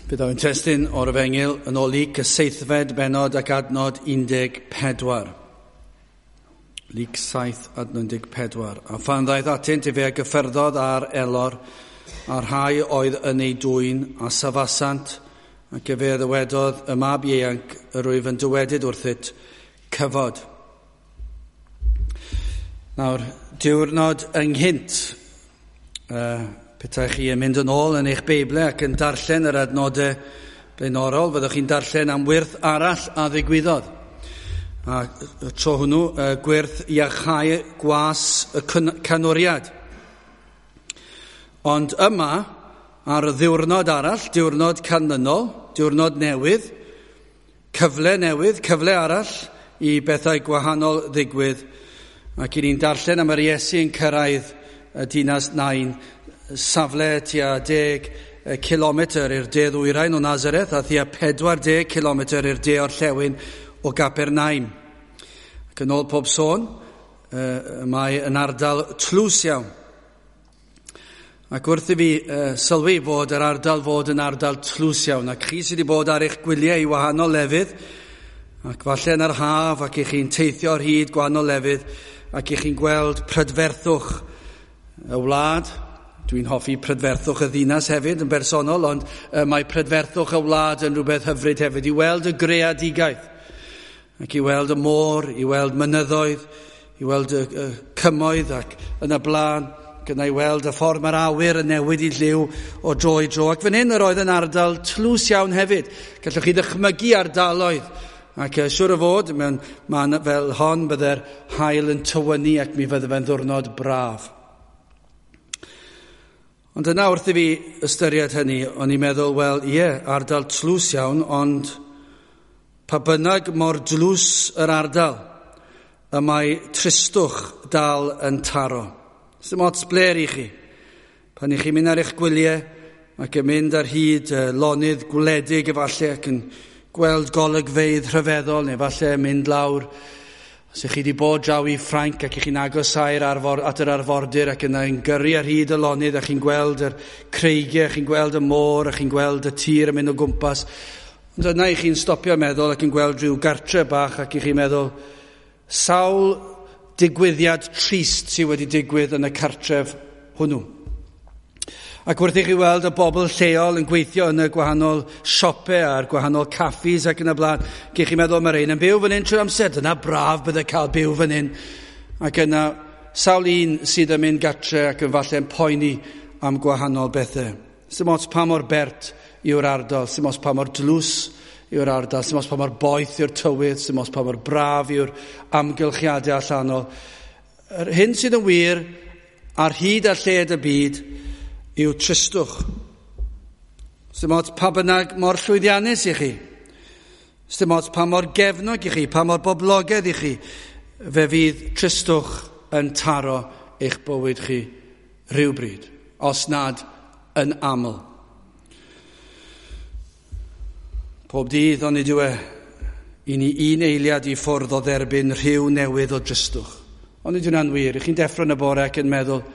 Bydd o'n testun o'r Efengyl yn ôl Luc y seithfed bennod ac adnod 14. Luc 7 adnod 14. A phan ddaeth atynt efe a gyffyrddodd ar elor, a rhai oedd yn ei dwyn a safasant, ac efe a ddywedodd y mab ieuanc yr wyf yn dywedyd wrthyt, cyfod. Nawr, diwrnod ynghynt, petai chi yn mynd yn ôl yn eich Beiblau ac yn darllen yr adnodau blaenorol, fyddwch chi'n darllen am wyrth arall a ddigwyddodd. A y tro hwnnw, gwyrth iachau gwas y canwriad. Ond yma, ar y ddiwrnod arall, diwrnod canlynol, diwrnod newydd, cyfle arall i bethau gwahanol ddigwydd, ac i ni'n darllen am yr Iesu yn cyrraedd y dinas Nain, safle tua 10 kilometr i'r de ddwyrain o Nazareth a thua 40 kilometr i'r de orllewin o Gapernaum. Ac yn ôl pob sôn, mae yn ardal tlws iawn. Ac wrth i fi sylwi fod yr ardal fod yn ardal tlws iawn, ac chi sydd wedi bod ar eich gwyliau i wahanol lefydd, ac falle yn yr haf, ac i chi'n teithio ar hyd gwahanol lefydd, ac i chi'n gweld prydferthwch y wlad. Dwi'n hoffi prydferthwch y ddinas hefyd yn bersonol, ond mae prydferthwch y wlad yn rhywbeth hyfryd hefyd, i weld y greadigaeth, ac i weld y môr, i weld mynyddoedd, i weld y cymoedd ac yn y blaen, ac yna i weld y ffordd mae'r awyr yn newid i lliw o dro i dro. Ac fan hyn yr oedd yn ardal tlws iawn hefyd. Gallwch chi ddychmygu ardaloedd, ac siŵr o fod, mewn man fel hon, bydde'r haul yn tywynnu ac mi fydde fe'n ddiwrnod braf. Ond yna wrth i fi ystyried hynny, o'n i'n meddwl, wel, ie, ardal tlws iawn, ond pa bynnag mor dlws yr ardal, y mae tristwch dal yn taro. Sdim ots bler i chi. Pan i chi'n mynd ar eich gwyliau ac yn mynd ar hyd lonydd gwledig efallai ac yn gweld golygfeydd rhyfeddol, neu falle mynd lawr. Os ych chi wedi bod draw i Ffrainc ac ych chi'n agosáu'r at yr arfordir ac yna yn gyrru ar hyd y lonydd a chi'n gweld yr creigiau, chi'n gweld y môr a chi'n gweld y tir yn mynd o gwmpas. Ond yna i chi'n stopio meddwl ac yn gweld rhyw gartre bach ac i chi'n meddwl sawl digwyddiad trist sydd wedi digwydd yn y cartref hwnnw. Ac wrth i chi weld y bobl lleol yn gweithio yn y gwahanol siopau a'r gwahanol caffis ac yn y blaen, gych chi'n meddwl mae'r ein yn byw fan hyn trwy'r amser, dyna braf bydde cael byw fan hyn. Ac yna sawl un sydd yn mynd gatre ac yn falle'n poeni am gwahanol bethau. Sdim ots pa mor bert yw'r ardal, sdim ots pa mor dlws yw'r ardal, sdim ots pa mor boeth yw'r tywydd, sdim ots pa mor braf yw'r amgylchiadau allanol. Yr hyn sydd yn wir ar hyd a lled y byd yw tristwch. Sdim ots pa bynnag mor llwyddiannus i chi. Sdim ots pa mor gefnog i chi, pa mor boblogaidd i chi. Fe fydd tristwch yn taro eich bywyd chi rhywbryd, os nad yn aml. Pob dydd onid yw e, i ni un eiliad i ffwrdd o dderbyn rhyw newydd o dristwch. Onid yw'n wir, i chi'n deffro yn y bore ac yn meddwl,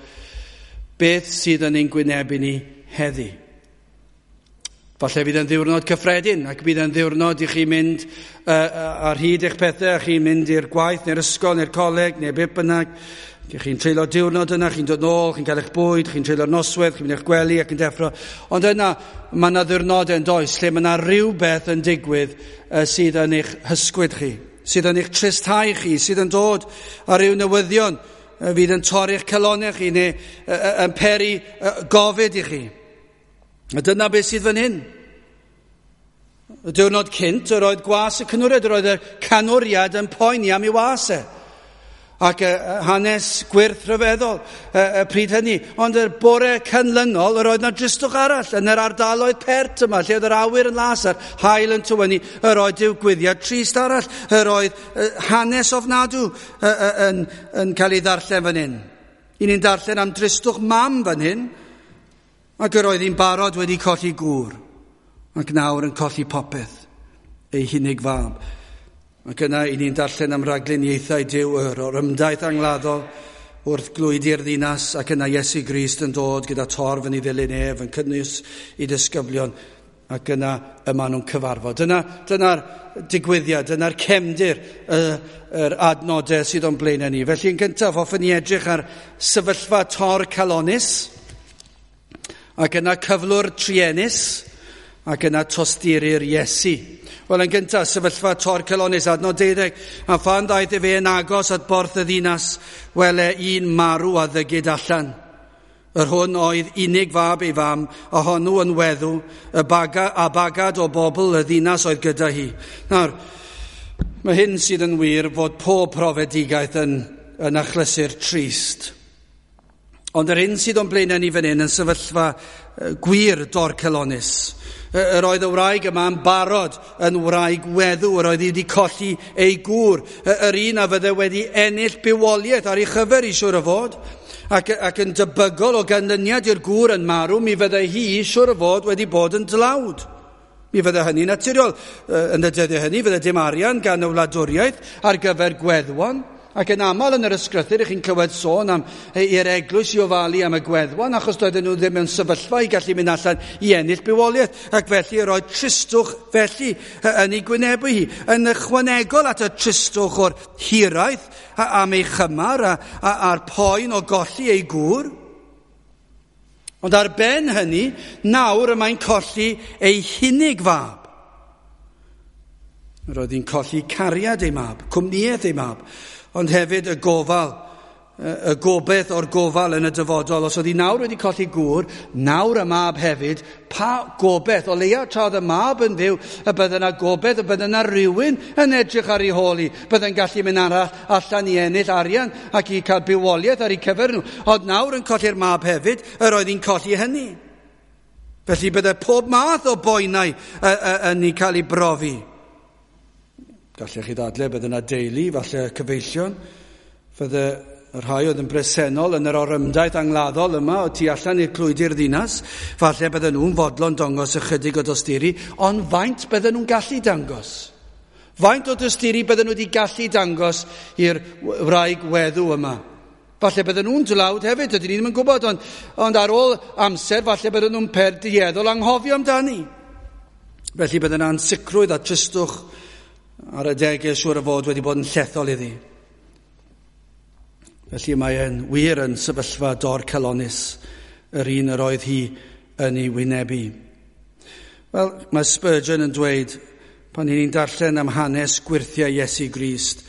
beth sydd yn ein gwynebu ni heddi? Falle fydd yn ddiwrnod cyffredin, ac bydd yn ddiwrnod i chi mynd ar hyd eich pethau, a chi'n mynd i'r gwaith, neu'r ysgol, neu'r coleg, neu beth bynnag. Chi'n treulio diwrnod yna, chi'n dod nôl, chi'n cael eich bwyd, chi'n treulio'r noswaith, chi'n mynd i'ch gwely ac yn deffro. Ond yna, mae yna ddiwrnodau yn does, lle mae yna rhywbeth yn digwydd sydd yn eich hysgwyd chi, sydd yn eich tristhau chi, sydd yn dod ar ryw newyddion fydd yn torri'ch calonnau chi neu yn peri gofid i chi. A dyna beth sydd fan hyn. Y diwrnod cynt, yr oedd gwas y canwriad, yr oedd y canwriad yn poeni am ei was e. Ac hanes gwyrth rhyfeddol y pryd hynny. Ond y bore canlynol, yr oedd na dristwch arall yn yr ardaloedd pert yma, lle oedd yr awyr yn las a'r haul yn tywynnu, yr oedd digwyddiad trist arall, yr oedd hanes ofnadw yn cael ei ddarllen fan hyn. I ni'n darllen am dristwch mam fan hyn, ac yr oedd hi'n barod wedi colli gŵr, ac nawr yn colli popeth, ei hunig fab. Ac yna, i ni'n darllen am ragluniaethau Duw o'r ymdaith angladdol wrth glwydi'r ddinas, ac yna Iesu Grist yn dod gyda torf yn ei ddilyn ef, yn cynnwys i disgyblion, Ac yna y maen nhw'n cyfarfod. Dyna'r digwyddiad, dyna'r cefndir, yr adnodau sydd o'n blaenau ni. Felly yn gyntaf, hoffwn ni edrych ar sefyllfa tor calonus, ac yna cyflwr truenus, ac yna tosturi'r Iesu. Wel, yn gyntaf, sefyllfa tor calonus, adnod 12, a phan ddaeth efe yn agos at borth y ddinas, wele un marw a ddygid allan. Yr hwn oedd unig fab ei fam, a honnw yn weddw, y bagad o bobl y ddinas oedd gyda hi. Nawr, mae hyn sydd yn wir fod pob profedigaeth yn achlysur trist. Ond yr hyn sydd o'n blaenau ni fan hyn yn sefyllfa gwir dorcalonnus. Yr oedd y wraig yma yn barod yn wraig weddw, yr oedd hi wedi colli ei gŵr, yr un a fydde wedi ennill bywoliaeth ar ei chyfer i siŵr o fod, ac yn debygol o ganlyniad i'r gŵr yn marw, mi fydde hi siŵr o fod wedi bod yn dlawd. Mi fydde hynny'n naturiol. Yn y dyddiau hynny, fydde dim arian gan y wladwriaeth ar gyfer gweddwon. Ac yn aml yn yr ysgrythur, ych chi'n clywed sôn am i'r eglwys i ofalu am y gweddwon, achos doedden nhw ddim mewn sefyllfa i gallu mynd allan i ennill bywoliaeth. Ac felly yr oedd tristwch felly yn ei gwynebu hi. Yn ychwanegol at y tristwch o'r hiraeth am ei chymar a'r poen o golli ei gŵr. Ond ar ben hynny, nawr y mae'n colli ei hunig fab. Yr oedd hi'n colli cariad ei mab, cwmnïaeth ei mab, ond hefyd y gofal, y gobaith o'r gofal yn y dyfodol. Os oedd hi nawr wedi colli gŵr, nawr y mab hefyd, pa gobaith, o leia tra oedd y mab yn fyw, y bydde yna gobaith, y bydde yna rhywun yn edrych ar ei hôl hi, bydde'n gallu mynd arall allan i ennill arian ac i cael bywoliaeth ar ei cyfer nhw. Ond nawr yn colli'r mab hefyd, yr oedd hi'n colli hynny. Felly bydde pob math o boenau yn ei cael ei brofi. Gallech chi ddadle, bydde yna deulu, falle cyfeillion, fydde y rhai oedd yn bresennol yn yr orymdaith angladdol yma o tu allan i'r clwydi'r ddinas, falle bydden nhw'n fodlon dangos ychydig o dosturi, ond faint bydden nhw'n gallu dangos? Faint o dosturi bydden nhw wedi gallu dangos i'r wraig weddw yma? Falle bydden nhw'n dlawd hefyd, ydyn ni ddim yn gwybod, ond ar ôl amser, falle bydden nhw'n perdueddol anghofio amdani. Felly bydden nhw'n ansicrwydd a tristwch ar adegau siŵr o fod wedi bod yn llethol iddi. Felly mae e'n wir yn sefyllfa dorcalonnus, yr un yr oedd hi yn ei wynebu. Wel, mae Spurgeon yn dweud, pan ni'n darllen am hanes gwyrthiau Iesu Grist,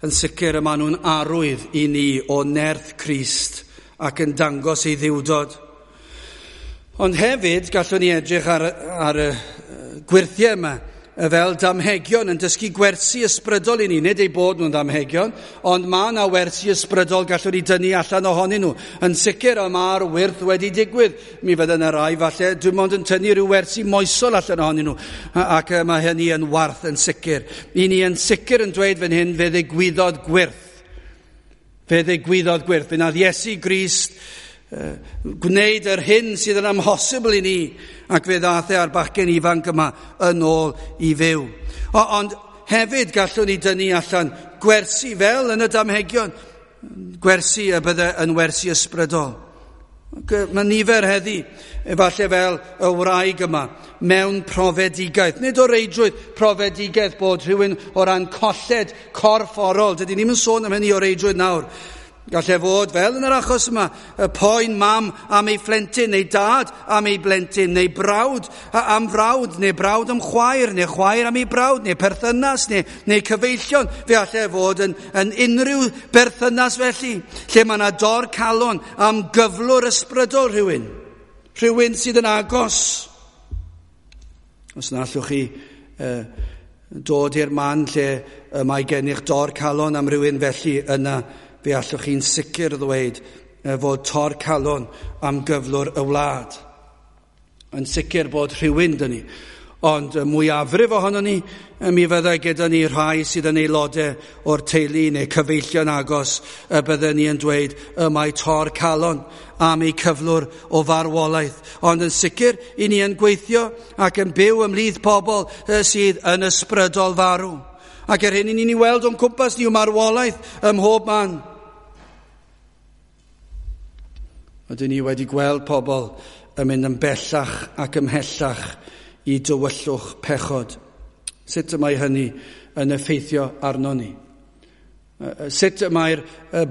yn sicr y maen nhw'n arwydd i ni o nerth Crist ac yn dangos ei ddiwdod. Ond hefyd, gallwn ni edrych ar y gwyrthiau yma, fel damhegion yn dysgu gwersi ysbrydol i ni. Nid eu bod nhw'n ddamhegion, ond mae yna wersi ysbrydol gallwn ni dynnu allan ohonyn nhw. Yn sicr, y mae'r wyrth wedi digwydd. Mi fydde yna rai falle, dim ond yn tynnu rhyw wersi moesol allan ohonyn nhw. Ac mae hynny yn warth yn sicr. I ni yn sicr yn dweud fan hyn, fe ddigwyddodd gwyrth. Fe ddigwyddodd gwyrth. Fe nath Iesu Grist gwneud yr hyn sydd yn amhosibl i ni, ac fe ddaeth e a'r bachgen ifanc yma yn ôl i fyw. Ond hefyd gallwn ni dynnu allan gwersi fel yn y damhegion, gwersi y bydde yn wersi ysbrydol. Mae nifer heddi, efallai fel y wraig yma, mewn profedigaeth. Nid o reidrwydd profedigaeth bod rhywun o ran colled corfforol. Dydy ni'm yn sôn am hynny o reidrwydd nawr. Gallai fod, fel yn yr achos yma, y poen mam am ei phlentyn, neu dad am ei blentyn, neu brawd am frawd, neu brawd am chwaer, neu chwaer am ei brawd, neu perthynas, neu cyfeillion. Fe allai fod yn unrhyw berthynas felly, lle mae yna dor calon am gyflwr ysbrydol rhywun, rhywun sydd yn agos. Os na allwch chi dod i'r man lle mae gennych dor calon am rhywun felly, yna fe allwch chi'n sicr ddweud fod tor calon am gyflwr y wlad. Yn sicr bod rhywun dyn ni, ond y mwyafrif ohono ni, mi fyddai gyda ni rhai sydd yn aelodau o'r teulu neu cyfeillion agos, y bydden ni yn dweud y mae tor calon am eu cyflwr o farwolaeth. Ond yn sicr, i ni yn gweithio ac yn byw ymhlith pobl sydd yn ysbrydol farw. Ac yr hyn i ni'n ei weld o'n cwmpas ni yw marwolaeth ym mhob man. Ydyn ni wedi gweld pobl yn mynd yn bellach ac ymhellach i dywyllwch pechod. Sut y mae hynny yn effeithio arno ni? Sut mae'r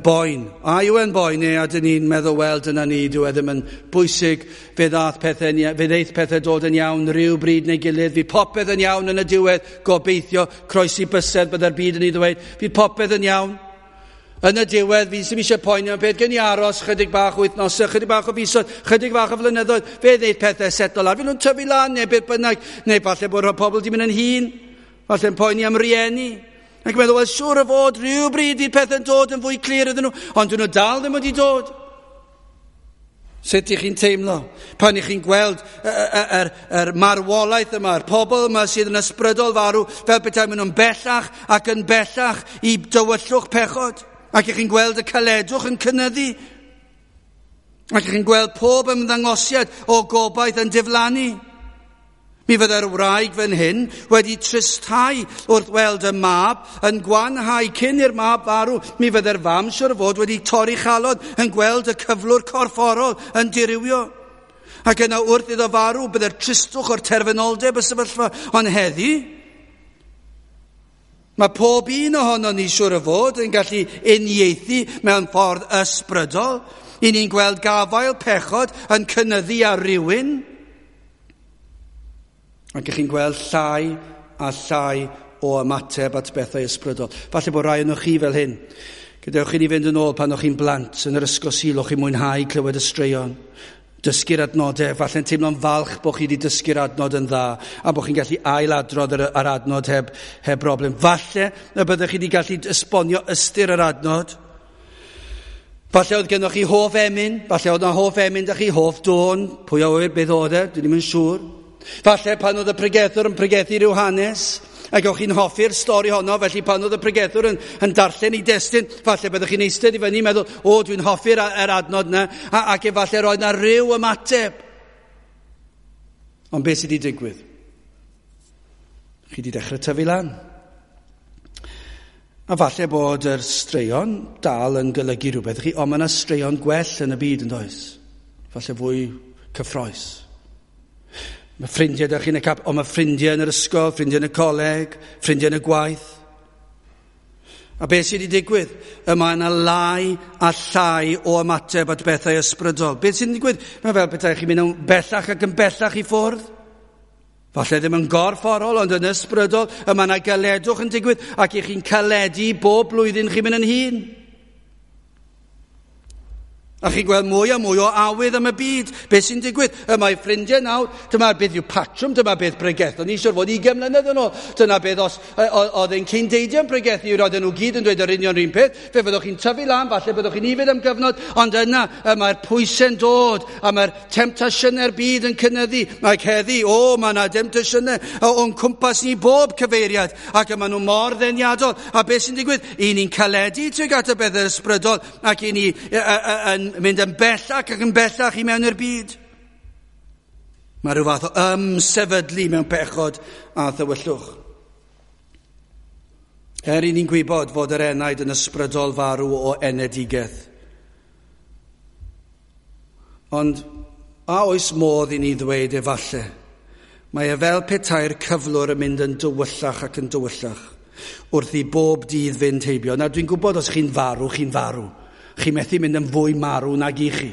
boen? A yw e'n boen neu a dyn ni'n meddwl, wel, dyna ni, dyw e ddim yn bwysig, fe ddeith pethau dod yn iawn rhyw bryd neu gilydd, fydd popeth yn iawn yn y diwedd, gobeithio, croesi bysedd byddai'r byd yn ei ddweud, fydd popeth yn iawn. Yn y diwedd, fi sy'n eisiau poeni am beth, gen i aros chydig bach o wythnosau, chydig bach o fisoedd, chydig bach o flynyddoedd, fe ddeith pethau setlo lawr, fydd nhw'n tyfu lan neu beth bynnag, neu falle bod pobl wedi mynd yn hŷn, falle'n poeni am rieni. Ac yn meddwl, wel, siŵr o fod rhywbryd fydd pethau'n dod yn fwy clir iddyn nhw, ond dyn nhw dal ddim wedi dod. Sut ych chi'n teimlo pan ych chi'n gweld yr marwolaeth yma, yr pobl yma sydd yn ysbrydol farw, fel petai maen nhw'n bellach ac yn bellach i dywyllwch pechod, ac ych chi'n gweld y caledwch yn cynyddu, ac ych chi'n gweld pob ymddangosiad o gobaith yn diflannu. Mi fyddai'r wraig fan hyn wedi tristhau wrth weld y mab yn gwanhau cyn i'r mab farw. Mi fyddai'r fam siwr o fod wedi torri chalon yn gweld y cyflwr corfforol yn dirywio. Ac yna wrth iddo farw byddai'r tristwch o'r terfynoldeb y sefyllfa. Ond heddi, mae pob un ohono ni siwr o fod yn gallu uniaethu mewn ffordd ysbrydol. I ni'n gweld gafael pechod yn cynyddu ar rywun. Ac ych chi'n gweld llai a llai o ymateb at bethau ysbrydol. Falle bod rai ohonoch chi fel hyn. Gadewch i ni fynd yn ôl pan o'ch chi'n blant yn yr ysgol Sul, o'ch chi'n mwynhau clywed y straeon, dysgu'r adnodau, falle'n teimlo'n falch bod chi wedi dysgu'r adnod yn dda a bod chi'n gallu ailadrodd yr adnod heb broblem. Falle y byddech chi wedi gallu esbonio ystyr yr adnod. Falle oedd gennych chi hoff emyn, falle oedd yna hoff emyn da chi, hoff dôn, pwy a ŵyr beth oedd e, dwi ddim yn siŵr. Falle pan oedd y pregethwr yn pregethu rhyw hanes, ac o'ch chi'n hoffi'r stori honno, felly pan oedd y pregethwr yn darllen ei destun, falle byddwch chi'n eistedd i fyny meddwl, o, dwi'n hoffi'r adnod yna, ac efallai roedd yna rhyw ymateb. Ond beth sydd wedi digwydd? Chi wedi dechrau tyfu lan. A falle bod yr straeon dal yn golygu rhywbeth i chi, ond mae yna straeon gwell yn y byd yn does? Falle fwy cyffrous. Mae ffrindiau da chi'n y cap, ond mae ffrindiau yn yr ysgol, ffrindiau yn y coleg, ffrindiau yn y gwaith. A beth sydd wedi digwydd? Y mae yna lai a llai o ymateb at bethau ysbrydol. Beth sydd wedi digwydd? Mae fel petai chi'n mynd yn bellach ac yn bellach i ffwrdd. Falle ddim yn gorfforol, ond yn ysbrydol. Y mae yna galedwch yn digwydd ac i chi'n caledu bob blwyddyn chi'n mynd yn hŷn. A chi'n gweld mwy a mwy o awydd am y byd. Beth sy'n digwydd? Y mae ffrindiau nawr, dyma beth yw patrwm, dyma beth pregethon ni siwr fod 20 mlynedd yn ôl. Dyna beth os oedd ein cyn-deidiau'n pregethu, roedden nhw gyd yn dweud yr union un peth. Fe fyddwch chi'n tyfu lan, falle byddwch chi'n ifed am gyfnod, ond yna y mae'r pwysau'n dod, a mae'r temtasiynau'r byd yn cynyddu. Mae heddi, o, mae yna demtasiynau o'n cwmpas ni bob cyfeiriad, ac y maen nhw mor ddeniadol. A beth sy'n digwydd? I ni'n caledu tuag at y bethau ysbrydol, ac i ni yn mynd yn bellach ac yn bellach i mewn i'r byd. Mae rhyw fath o ymsefydlu mewn pechod a thywyllwch. Er i ni'n gwybod fod yr enaid yn ysbrydol farw o enedigaeth. Ond a oes modd i ni ddweud efallai, mae e fel petai'r cyflwr yn mynd yn dywyllach ac yn dywyllach wrth i bob dydd fynd heibio. Nawr dwi'n gwybod os chi'n farw, chi'n farw. Chi'n methu mynd yn fwy marw nag i chi.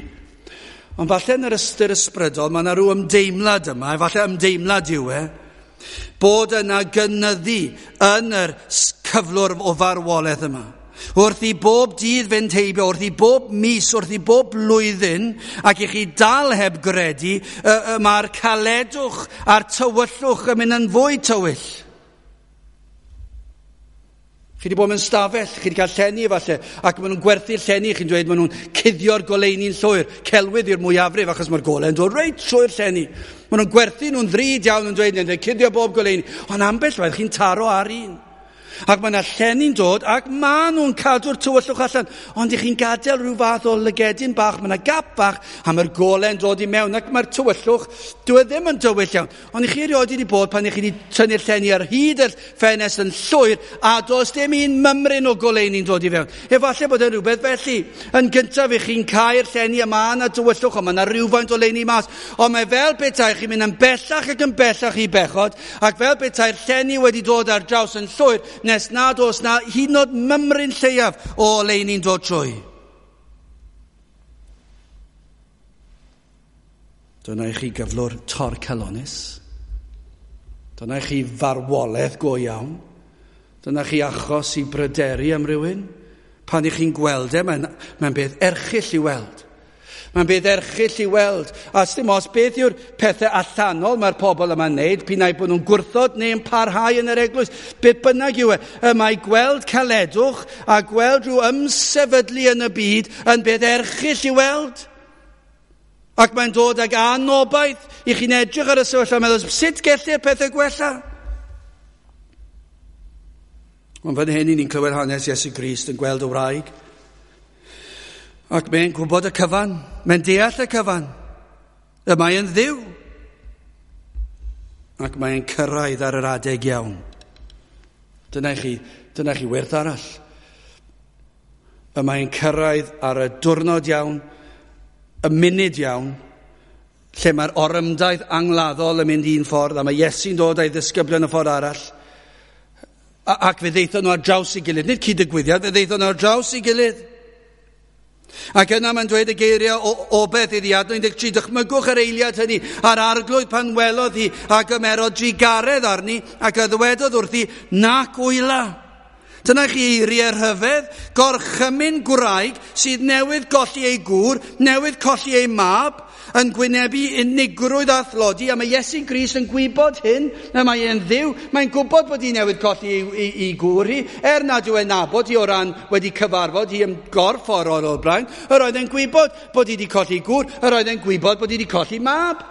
Ond falle yn yr ystyr ysbrydol, mae yna rhyw ymdeimlad yma, efallai ymdeimlad yw e, bod yna gynyddu yn yr cyflwr o farwolaeth yma. Wrth i bob dydd fynd heibio, wrth i bob mis, wrth i bob blwyddyn, ac i chi dal heb gredu, mae'r caledwch a'r tywyllwch yn mynd yn fwy tywyll. Chi wedi bod mewn stafell, chi wedi cael llenni efallai, ac maen nhw'n gwerthu'r llenni, chi'n dweud maen nhw'n cuddio'r goleuni'n llwyr, celwydd i'r mwyafrif, achos mae'r gole'n dod reit trwy'r llenni. Maen nhw'n gwerthu nhw'n ddrud iawn yn dweud, neu'n cuddio bob goleuni, ond ambell waith chi'n taro ar un. Ac mae yna llenni'n dod ac maen nhw'n cadw'r tywyllwch allan. Ond i chi'n gadael rhyw fath o lygedyn bach, mae yna gap bach a mae'r gole'n dod i mewn ac mae'r tywyllwch, dyw e ddim yn dywyll iawn. Ond i chi erioed wedi bod pan i chi wedi tynnu'r llenni ar hyd y ffenest yn llwyr a does dim un mymryn o goleuni'n dod i fewn. Efallai bod e'n rhywbeth felly. Yn gyntaf i chi'n cau'r llenni a mae yna tywyllwch, ond mae yna rhywfaint o leuni mas. Ond mae fel petai chi'n mynd yn bellach ac yn bellach i bechod, ac fel petai'r llenni wedi dod ar draws yn llwyr, nes nad oes na hyd yn oed mymryn lleiaf o oleuni'n dod trwy. Dyna i chi gyflwr torcalonnus. Dyna i chi farwolaeth go iawn. Dyna chi achos i bryderu am rywun. Pan i chi'n gweld e, mae'n beth erchyll i weld. Mae'n beth erchyll i weld. A dim os beth yw'r pethau allanol mae'r pobl yma'n neud, p'un ai bod nhw'n gwrthod neu'n parhau yn yr eglwys, beth bynnag yw e, mae gweld caledwch a gweld rhyw ymsefydlu yn y byd yn beth erchyll i weld. Ac mae'n dod ag anobaith i chi'n edrych ar y sefyllfa a meddwl, sut gellir pethau gwella? Ond fan hyn, ni'n clywed hanes Iesu Grist yn gweld y wraig. Ac mae'n gwybod y cyfan, mae'n deall y cyfan. Y mae'n Dduw. Ac mae'n cyrraedd ar yr adeg iawn. Dyna chi werth arall. Y mae'n cyrraedd ar y diwrnod iawn, y munud iawn, lle mae'r orymdaith angladdol yn mynd un ffordd, a mae Iesu'n dod a'i ddisgyblion y ffordd arall. Ac fe ddeithon nhw ar draws ei gilydd. Nid cyd-ddigwyddiad, fe ddeithon nhw ar draws ei gilydd. Ac yna mae'n dweud y geiriau o obeth iddi, adnod 13, dychmygwch yr eiliad hynny, a'r arglwydd pan welodd hi a gymerodd drugaredd arni ac a ddywedodd wrthi, nac wyla. Dyna chi eiriau rhyfedd, gorchymyn gwraig sydd newydd golli ei gŵr, newydd colli ei mab, yn gwynebu unigrwydd a thlodi, a mae Iesu Grist yn gwybod hyn, a mae e'n Dduw, mae'n gwybod bod hi newydd colli ei gŵr hi, er nad yw e'n nabod hi o ran wedi cyfarfod hi yn gorfforol o'r blaen, yr oedd e'n gwybod bod hi wedi colli gŵr, yr oedd e'n gwybod bod hi wedi colli mab.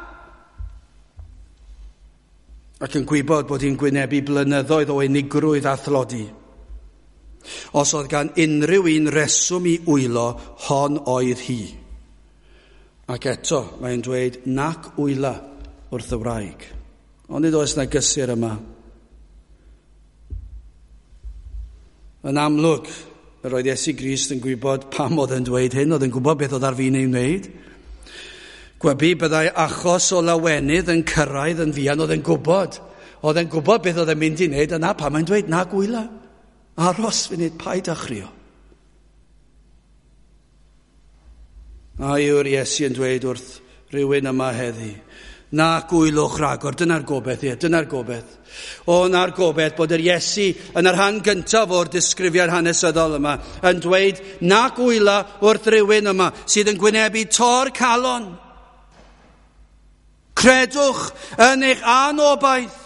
Ac yn gwybod bod hi'n gwynebu blynyddoedd o unigrwydd a thlodi. Os oedd gan unrhyw un reswm i wylo, hon oedd hi. Ac eto, mae'n dweud, nac wyla wrth y wraig. Ond nid oes na gysur yma. Yn amlwg, yr oedd Iesu Grist yn gwybod pam oedd yn dweud hyn, oedd yn gwybod beth oedd ar fin ei wneud. Gwebu byddai achos o lawenydd yn cyrraedd yn fuan, oedd yn gwybod. Oedd yn gwybod beth oedd yn mynd i wneud, yna pam mae'n dweud, nac wyla. Aros funud, paid â chrio. A yw'r Iesu yn dweud wrth rhywun yma heddi, na gwylwch ragor, dyna'r gobeith, ie, dyna'r gobeith. O, na'r gobeith bod yr Iesu yn y rhan gyntaf o'r disgrifiad hanesyddol yma yn dweud na gwyla wrth rhywun yma sydd yn gwynebu tor calon. Credwch yn eich anobaith.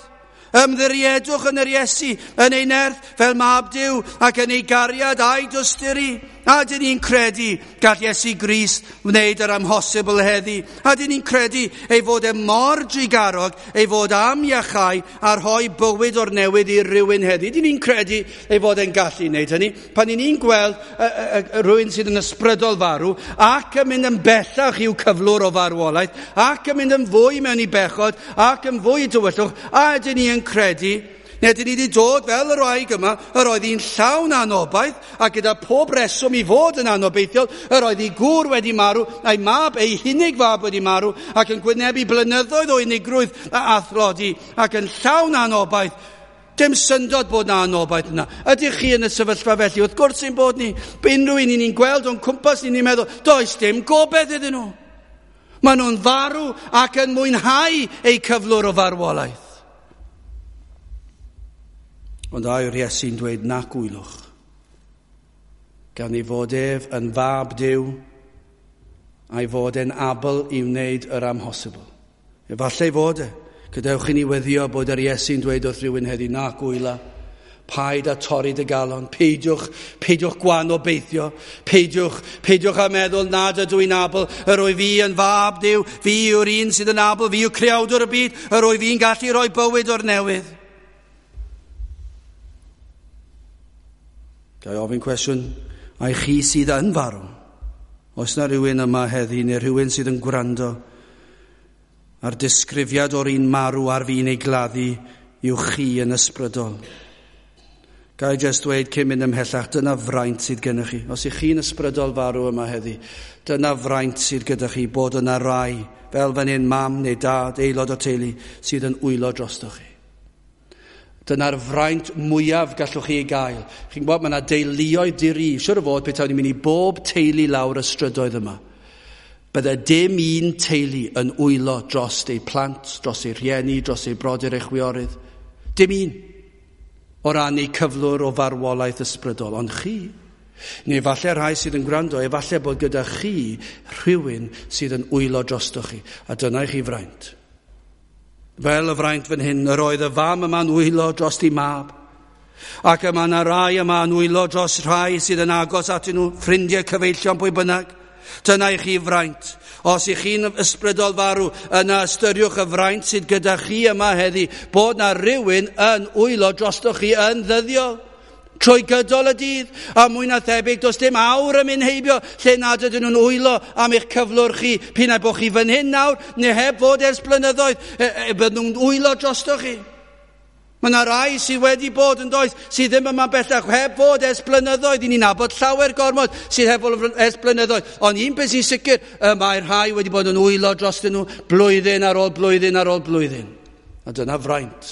Ymddiriedwch yn yr Iesu, yn ei nerth fel mab Duw ac yn ei gariad a'i dosturi. A dyn ni'n credu gall Iesu Grist wneud yr amhosibl heddi. A dyn ni'n credu ei fod e mor drugarog, ei fod am iachau a rhoi bywyd o'r newydd i rywun heddi. Dyn ni'n credu ei fod e'n gallu wneud hynny. Pan ni'n ni'n gweld rhywun sydd yn ysbrydol farw ac yn mynd yn bellach i'w cyflwr o farwolaeth ac yn mynd yn fwy mewn i bechod ac yn fwy i tywyllwch, a dyn ni yn credu, neu dyn ni wedi dod fel yr wraig yma, yr oedd hi'n llawn anobaith, a gyda pob reswm i fod yn anobeithiol, yr oedd ei gŵr wedi marw, a'i mab, ei hunig fab wedi marw, ac yn gwynebu blynyddoedd o unigrwydd a thlodi, ac yn llawn anobaith. Dim syndod bod na anobaith yna. Ydych chi yn y sefyllfa felly? Wrth gwrs ein bod ni. Unrhyw un ni'n gweld o'n cwmpas ni'n meddwl, does dim gobeith iddyn nhw. Maen nhw'n farw ac yn mwynhau eu cyflwr o farwolaeth. Ond a yw'r Iesu'n dweud nac wylwch, gan ei fod ef yn fab Duw, a'i fod e'n abl i wneud yr amhosibl. Efallai fod e. Gadewch i ni weddio bod yr Iesu'n dweud wrth rhywun heddi, nac wyla, paid â torri dy galon, peidiwch gwan obeithio, peidiwch â meddwl nad ydw i'n abl, yr wyf fi yn fab Duw, fi yw'r un sydd yn abl, fi yw creawdwr y byd, yr wyf fi'n gallu rhoi bywyd o'r newydd. Ga i ofyn cwestiwn, ai chi sydd yn farw? Oes na rhywun yma heddi neu rhywun sydd yn gwrando a'r disgrifiad o'r un marw ar fin ei gladdu yw chi yn ysbrydol? Ga i jyst dweud cyn mynd ymhellach, dyna fraint sydd gennych chi. Os ych chi'n ysbrydol farw yma heddi, dyna fraint sydd gyda chi, bod yna rai, fel fan hyn mam neu dad, aelod o teulu, sydd yn wylo drostoch chi. Dyna'r fraint mwyaf gallwch chi ei gael. Chi'n gwybod, mae yna deuluoedd diri. Siwr o fod petawn ni'n mynd i bob teulu lawr y strydoedd yma. Bydde dim un teulu yn wylo dros eu plant, dros eu rhieni, dros eu brodyr, eu chwiorydd. Dim un o ran eu cyflwr o farwolaeth ysbrydol. Ond chi, neu falle rhai sydd yn gwrando, efallai bod gyda chi rhywun sydd yn wylo drostoch chi. A dyna i chi fraint. Fel y fraint fan hyn, yr oedd y fam yma'n wylo dros ei mab. Ac yma yna rai yma'n wylo dros rhai sydd yn agos atyn nhw, ffrindiau, cyfeillion, pwy bynnag. Dyna i chi fraint. Os ych chi'n ysbrydol farw, yna ystyriwch y fraint sydd gyda chi yma heddi, bod na rhywun yn wylo drostoch chi yn ddyddiol, trwy gydol y dydd, a mwy na thebyg, does dim awr yn mynd heibio lle nad ydyn nhw'n wylo am eich cyflwr chi, p'un ai bod chi fan hyn nawr, neu heb fod ers blynyddoedd, bydden nhw'n wylo drostoch chi. Mae yna rai sydd wedi bod yn does, sydd ddim yma bellach, heb fod ers blynyddoedd. I ni'n nabod llawer gormod sydd heb fod ers blynyddoedd. Ond un peth sy'n sicr, y mae rhai wedi bod yn wylo drostyn nhw blwyddyn ar ôl blwyddyn ar ôl blwyddyn. A dyna fraint,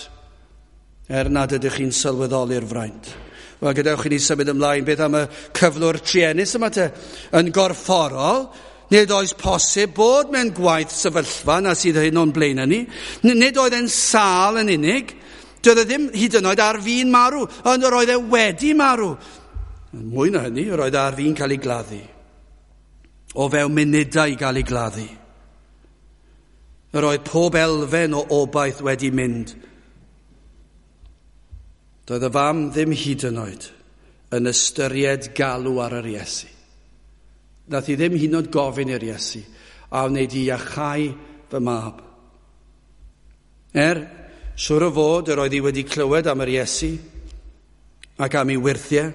er nad ydych chi'n sylweddoli'r fraint. Wel, gadewch i ni symud ymlaen. Beth am y cyflwr truenus yma te? Yn gorfforol, nid oes posib bod mewn gwaith sefyllfa na sydd hyn o'n blaen ni. Nid oedd e'n sâl yn unig. Doedd e ddim hyd yn oed ar fin marw, ond yr oedd e wedi marw. Mwy na hynny, yr oedd ar fin cael ei gladdu. O fewn munudau i gael ei gladdu. Yr oedd pob elfen o obaith wedi mynd. Doedd y fam ddim hyd yn oed yn ystyried galw ar yr Iesu. Nath hi ddim hyd yn oed gofyn i'r Iesu, a wneud i iachau fy mab. Siwr o fod yr oedd hi wedi clywed am yr Iesu ac am ei wyrthiau.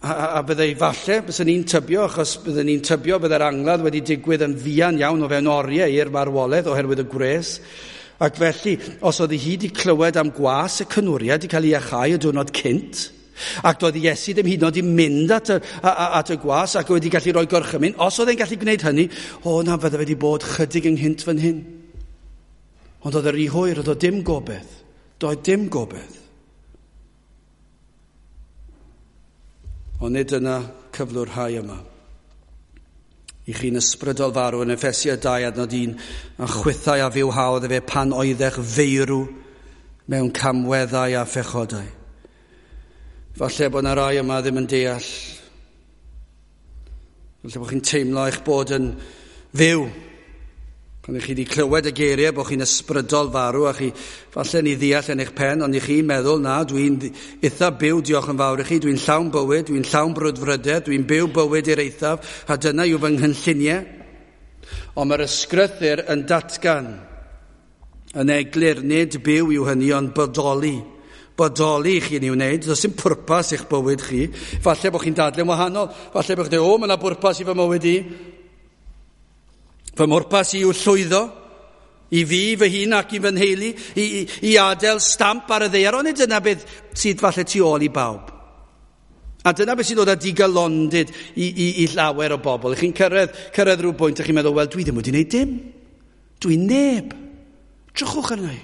A byddai falle, byswn ni'n tybio, achos byddwn ni'n tybio byddai'r angladd wedi digwydd yn fuan iawn o fewn oriau i'r marwolaeth oherwydd y gwres. Ac felly, os oedd hi wedi clywed am gwas y cynwriad wedi cael ei iachau y diwrnod cynt, ac doedd Iesu ddim hyd yn oed i mynd at y gwas ac wedi gallu rhoi gorchymyn, os oedd e'n gallu gwneud hynny, o na, fydde wedi bod chydig ynghynt fan hyn. Ond oedd yr i hwyr, oedd o dim gobaith. Doedd dim gobaith. Ond nid yna cyflwr rhai yma. I chi'n ysbrydol farw yn Effesiaid 2 adnod 1, a chwithau a fywhaodd efe pan oeddech feirw mewn camweddau a phechodau. Falle bod yna rai yma ddim yn deall. Falle bod chi'n teimlo eich bod yn fyw. Pan ych chi wedi clywed y geiriau bod chi'n ysbrydol farw a chi falle ni ddeall yn eich pen, ond i chi'n meddwl, na, dwi'n eitha byw, diolch yn fawr i chi, dwi'n llawn bywyd, dwi'n llawn brwdfrydedd, dwi'n byw bywyd i'r eithaf, a dyna yw fy nghynlluniau. Ond mae'r ysgrythur yn datgan yn eglur, nid byw yw hynny, ond bodoli. Bodoli i chi'n ei wneud, does dim pwrpas i'ch bywyd chi. Falle bod chi'n dadlau'n wahanol, falle bod chi'n dweud, o, mae yna bwrpas i fy mywyd i. Fy mhwrpas i yw llwyddo, i fi, fy hun ac i fy nheulu, i adael stamp ar y ddaear, ond nid dyna beth sydd falle tu ôl i bawb. A dyna beth sy'n dod â digalondid i llawer o bobl. Chi'n cyrraedd rhyw bwynt a chi'n meddwl, wel, dwi ddim wedi gwneud dim. Dwi'n neb. Drychwch arna i.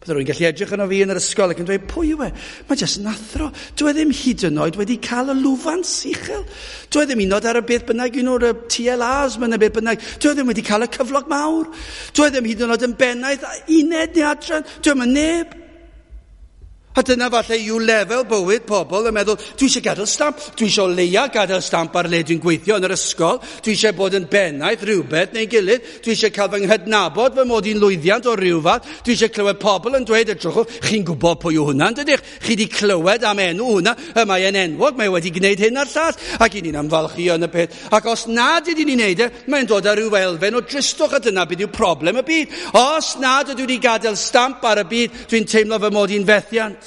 Bydde rwy'n gallu edrych arno fi yn yr ysgol ac yn dweud, pwy yw e? Mae jyst yn athro. Dwi e ddim hyd yn oed wedi cael y lwfans uchel. Dwi e ddim un oed ar y beth bynnag, un o'r TLAs, mae'n y beth bynnag. Dwi e ddim wedi cael y cyflog mawr. Dwi e ddim hyd yn oed yn bennaeth uned neu adran. Dwi e ddim yn neb. A dyna falle yw lefel bywyd pobl yn meddwl, dwi eisiau gadael stamp, dwi eisiau leia gadael stamp ar le dwi'n gweithio yn yr ysgol, dwi eisiau bod yn bennaeth rhywbeth neu gilydd, dwi eisiau cael fy nghydnabod fy mod i'n lwyddiant o ryw fath, dwi eisiau clywed pobl yn dweud, edrychwch, chi'n gwybod pwy yw hwnna, dydych? Chi wedi clywed am enw hwnna, y mae e'n enwog, mae wedi gwneud hyn a'r llall, ac i ni'n ymfalchïo yn y peth. Ac os nad ydyn ni'n neud e, mae'n dod â rhyw elfen o dristwch, a dyna beth yw problem y byd. Os nad ydw i wedi gadael stamp ar y byd, dwi'n teimlo fy mod i'n fethiant.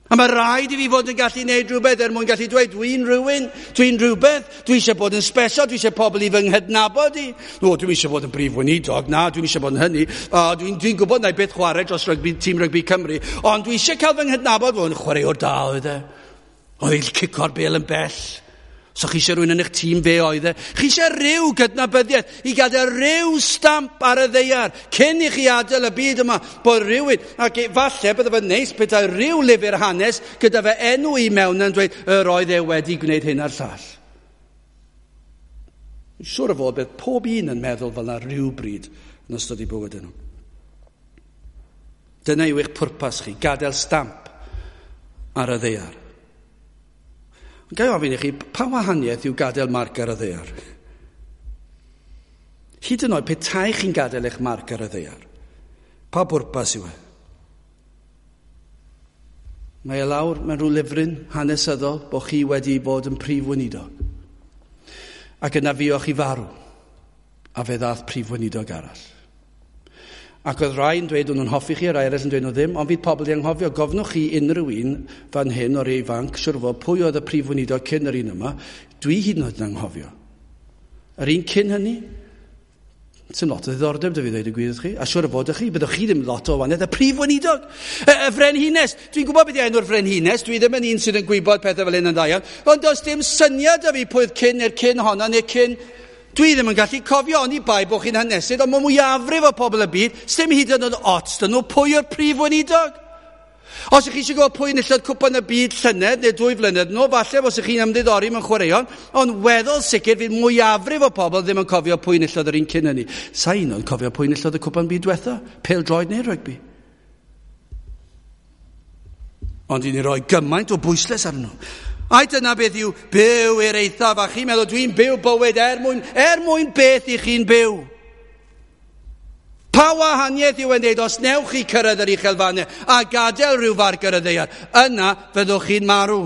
A mae rhaid i fi fod yn gallu gwneud rhywbeth er mwyn gallu dweud, dwi'n rhywun, dwi'n rhywbeth, dwi eisiau bod yn special, dwi eisiau pobl i fy nghydnabod i. O, dwi'n eisiau bod yn brif weinidog, na, dwi'n eisiau bod yn hynny. Dwi'n dwi gwybod na i beth chwarae dros rygbi, tîm rygbi Cymru, ond dwi eisiau cael fy nghydnabod, fod yn chwaraewr da oedd e. Oedd e'n cico'r bel yn bell. So chi eisiau rhywun yn eich tîm fe oedd e. Chi eisiau rhyw gydnabyddiaeth i gadael rhyw stamp ar y ddeiar cyn i chi adael y byd yma bod rhywun, ac falle bydde fe'n neis petai rhyw lyfr hanes gyda fe enw i mewn yn dweud yr oedd e wedi gwneud hyn a'r llall. Siwr o fod bydd pob un yn meddwl fel yna rhyw bryd yn ystod eu bywyd nhw. Dyna yw eich pwrpas chi, gadael stamp ar y ddaear. Ond ga i ofyn i chi, pa wahaniaeth yw gadael marc ar y ddaear? Hyd yn oed petai chi'n gadael eich marc ar y ddaear, pa bwrpas yw e? Mae e lawr mewn rhyw lyfryn hanesyddol bod chi wedi bod yn prif weinidog. Ac yna fuoch chi farw, a fe ddath prif weinidog arall. Ac oedd rai yn dweud o'n nhw'n hoffi chi, a rai eraill yn dweud nhw ddim, ond fydd pobl di anghofio. Gofnwch chi unrhyw un fan hyn o'r ifanc, siwr fod pwy oedd y prif weinidog cyn yr un yma, dwi hyd yn oed yn anghofio. Yr un cyn hynny, sy'n lot o ddiddordeb, dy fi ddweud y gwir chi, a siwr o fod ych chi, byddwch chi ddim lot o wahaniaeth, y prif weinidog, y frenhines, dwi'n gwybod beth yw enw'r frenhines, dwi ddim yn un sydd yn gwybod pethau fel hyn yn dda iawn, ond does dim syniad o fi pwy oedd cyn neu'r cyn honno neu cyn. Dwi ddim yn gallu cofio, oni bai bod chi'n hanesydd, ond mae mwyafrif o pobl y byd, sdim hyd yn oed ots dyn nhw pwy yw'r prif weinidog. Os ych chi eisiau gwybod pwy enillodd cwpan y byd llynedd neu 2 flynedd nôl, falle os ych chi'n ymddiddori mewn chwaraeon, ond weddol sicr fydd mwyafrif o pobl ddim yn cofio pwy enillodd yr un cyn hynny. Sa un o'n cofio pwy enillodd y cwpan byd diwetha, pêl-droed neu rygbi. Ond i ni roi gymaint o bwyslais arnyn nhw. Ai dyna beth yw byw i'r eithaf, a chi'n meddwl dwi'n byw bywyd er mwyn beth i chi'n byw. Pa wahaniaeth yw yn dweud os newch chi cyrraedd yr uchelfannau a gadael rhyw farc ar y ddaear, yna fyddwch chi'n marw.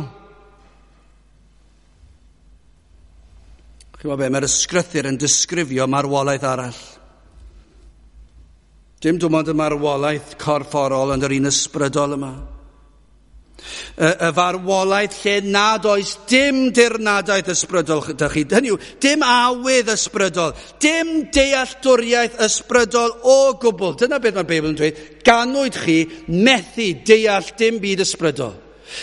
Chi'n gwybod be, mae'r ysgrythur yn disgrifio marwolaeth arall. Dim dim ond y marwolaeth corfforol ond yr un ysbrydol yma. Y farwolaeth lle nad oes dim dirnadaeth ysbrydol gyda chi. Hynny yw, dim awydd ysbrydol, dim dealltwriaeth ysbrydol o gwbl. Dyna beth mae'r Beibl yn dweud. Ganwyd chi methu deall dim byd ysbrydol.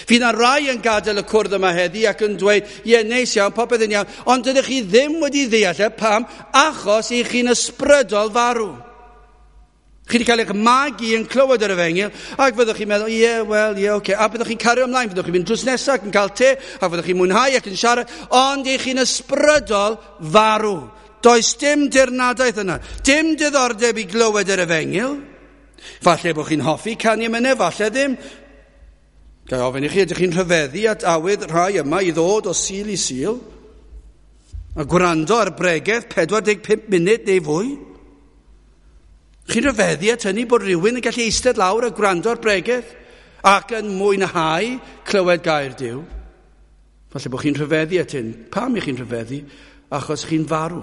Fydd yna rai yn gadael y cwrdd yma heddi ac yn dweud, ie, neis iawn, popeth yn iawn, ond dydych chi ddim wedi ddeall e, pam? Achos i chi'n ysbrydol farw. Chi wedi cael eich magu yn clywed yr efengyl, ac fyddwch chi'n meddwl, ie, wel, ie, oce. A byddwch chi'n cario ymlaen, fyddwch chi'n mynd drws nesaf ac yn cael te, a fyddwch chi'n mwynhau ac yn siarad, ond eich chi'n ysbrydol farw. Does dim dirnadaeth yna, dim diddordeb i glywed yr efengyl. Falle bod chi'n hoffi canu emynau, falle ddim. Ga i ofyn i chi, ydych chi'n rhyfeddu at awydd rhai yma i ddod o Sul i Sul a gwrando ar bregeth 45 munud neu fwy? Chi'n rhyfeddu at hynny bod rhywun yn gallu eistedd lawr a gwrando ar bregeth ac yn mwynhau clywed gair Duw? Falle bod chi'n rhyfeddu at hyn. Pam i chi'n rhyfeddu? Achos chi'n farw.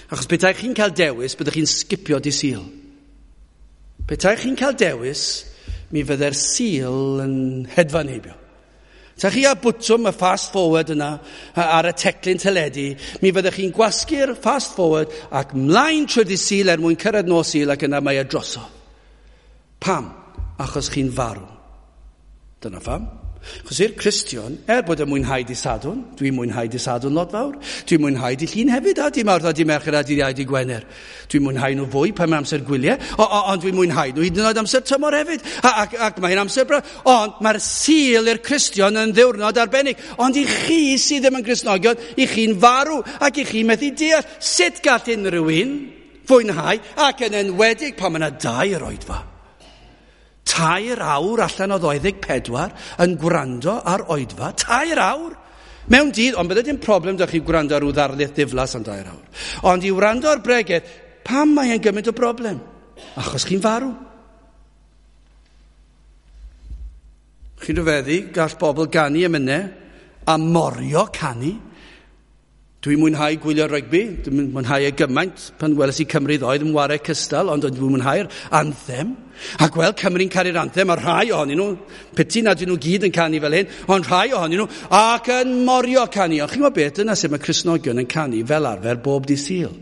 Achos petai chi'n cael dewis, byddwch chi'n sgipio di Sul. Petai chi'n cael dewis, mi fydde'r Sul yn hedfan heibio. Ta chi a bwtwm y fast forward yna ar y teclyn teledu, mi fyddech chi'n gwasgu'r fast forward ac mlaen trwy dydd Sul er mwyn cyrraedd nos Sul ac yna mae e drosodd. Pam? Achos chi'n farw. Dyna pham. Achos i'r Cristion, er bod yn mwynhau dydd Sadwrn, dwi'n mwynhau dydd Sadwrn lot fawr, dwi'n mwynhau dydd Llun hefyd, a dydd Mawrth a dydd Mercher a dydd Iau, dydd Gwener. Dwi'n mwynhau nhw fwy pan mae amser gwyliau, ond dwi'n mwynhau nhw hyd yn oed amser tymor hefyd, ac mae'n amser braf. Ond mae'r Sul i'r Cristion yn ddiwrnod arbennig. Ond i chi sydd ddim yn Gristnogion, i chi'n farw, ac i chi methu deall sut gall unrhyw un fwynhau, ac yn enwedig pan mae yna dair oedfa. 3 awr allan o 24 yn gwrando ar oedfa, 3 awr mewn dydd, ond bydde dim problem dych chi gwrando ar ryw ddarlith ddiflas am 3 awr. Ond i wrando ar bregeth, pam mae e'n gymaint o broblem? Achos chi'n farw. Chi'n rhyfeddu, gall bobl ganu emynau a morio canu. Dwi'n mwynhau gwylio rygbi, dwi'n mwynhau e gymaint pan weles i Cymru ddoe, ddim ware cystal, ond dwi'n mwynhau'r anthem. A gweld Cymru'n caru'r anthem, a rhai ohonyn nhw, piti nad ydyn nhw gyd yn canu fel hyn, ond rhai ohonyn nhw, ac yn morio canu. Ond chi'n gwybod beth, dyna sut mae Cristnogion yn canu fel arfer bob dydd Sul.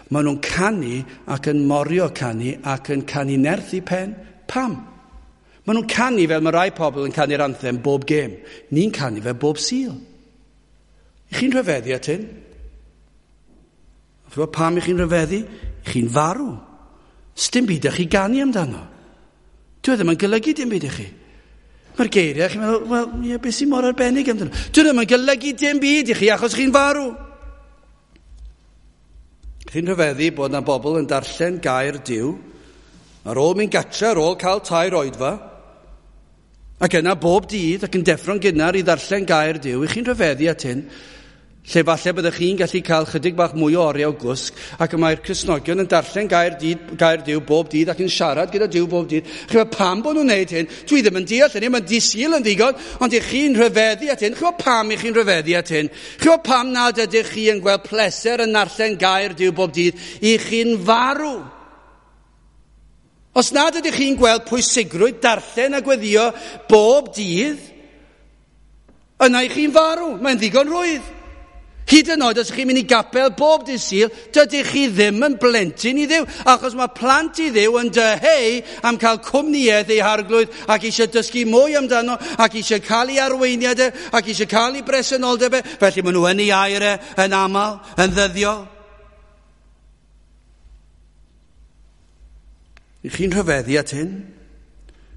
Maen nhw'n canu ac yn morio canu ac yn canu nerth i pen. Pam? Maen nhw'n canu fel mae rai pobl yn canu'r anthem bob gêm. Ni'n canu fel bob Sul. I chi'n rhyfeddu at hyn? Chi'n gwybod pam i chi'n rhyfeddu? I chi'n farw. Sdim byd i chi ganu amdano. Dwi ddim yn golygu dim byd i chi. Mae'r geiriau, chi'n meddwl, wel, ie, beth sy'n mor arbennig amdano? Dwi ddim yn golygu dim byd i chi achos chi'n farw. Chi'n rhyfeddu bod yna bobl yn darllen gair Duw ar ôl mynd gatre, ar ôl cael 3 oedfa, ac yna bob dydd ac yn deffro'n gynnar i ddarllen gair Duw, i chi'n rhyfeddu at hyn, lle falle byddech chi'n gallu cael chydig bach mwy o oriau o gwsg, ac y mae'r Cristnogion yn darllen gair Duw bob dydd ac yn siarad gyda Duw bob dydd. Chi'n meddwl, pam bod nhw'n neud hyn? Dwi ddim yn deall hynny, mae'n dydd Sul yn ddigon, ond i chi'n rhyfeddu at hyn. Chi'n meddwl pam i chi'n rhyfeddu at hyn? Chi'n meddwl pam nad ydych chi yn gweld pleser yn darllen gair Duw bob dydd? I chi'n farw. Os nad ydych chi'n gweld pwysigrwydd darllen a gweddio bob dydd, yna i chi'n farw. Mae'n ddigon rhwydd. Hyd yn oed os ydych chi'n mynd i gapel bob dydd Sul, dydych chi ddim yn blentyn i Dduw, achos mae plant i Dduw yn dyheu am cael cwmnïaeth ei harglwydd ac eisiau dysgu mwy amdano ac eisiau cael ei arweiniad e, ac eisiau cael ei bresenoldeb e. Felly maen nhw yn ei air e, yn aml, yn ddyddiol. I chi'n rhyfeddu at hyn?